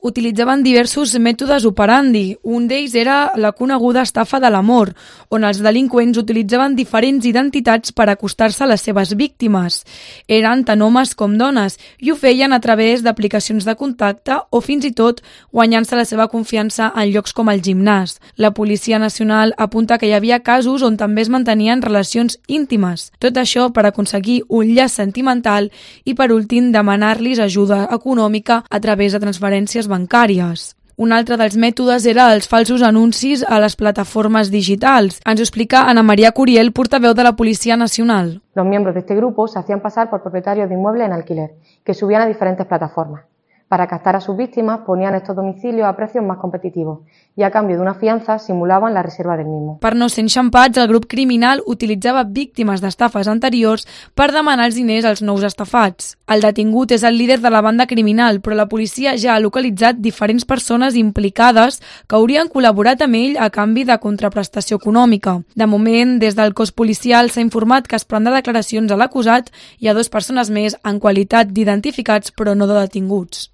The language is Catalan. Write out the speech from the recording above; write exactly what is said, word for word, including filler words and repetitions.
Utilitzaven diversos mètodes operandi. Un d'ells era la coneguda estafa de l'amor, on els delinqüents utilitzaven diferents identitats per acostar-se a les seves víctimes. Eren tant homes com dones i ho feien a través d'aplicacions de contacte o fins i tot guanyant-se la seva confiança en llocs com el gimnàs. La Policia Nacional apunta que hi havia casos on també es mantenien relacions íntimes. Tot això per aconseguir un llaç sentimental i, per últim, demanar-los ajuda econòmica a través de transferències bancàries. Un altre dels mètodes era els falsos anuncis a les plataformes digitals. Ens ho explica Ana María Curiel, portaveu de la Policia Nacional. Los miembros de este grupo se hacían pasar por propietarios de inmuebles en alquiler, que subían a diferentes plataformas. Para captar a sus víctimas ponían estos domicilios a precios más competitivos y a cambio de una fianza simulaban la reserva del mismo. Per no ser enxampats, el grup criminal utilitzava víctimes d'estafes anteriors per demanar els diners als nous estafats. El detingut és el líder de la banda criminal, però la policia ja ha localitzat diferents persones implicades que haurien col·laborat amb ell a canvi de contraprestació econòmica. De moment, des del cos policial s'ha informat que es prendrà declaracions a l'acusat i a dues persones més en qualitat d'identificats però no de detinguts.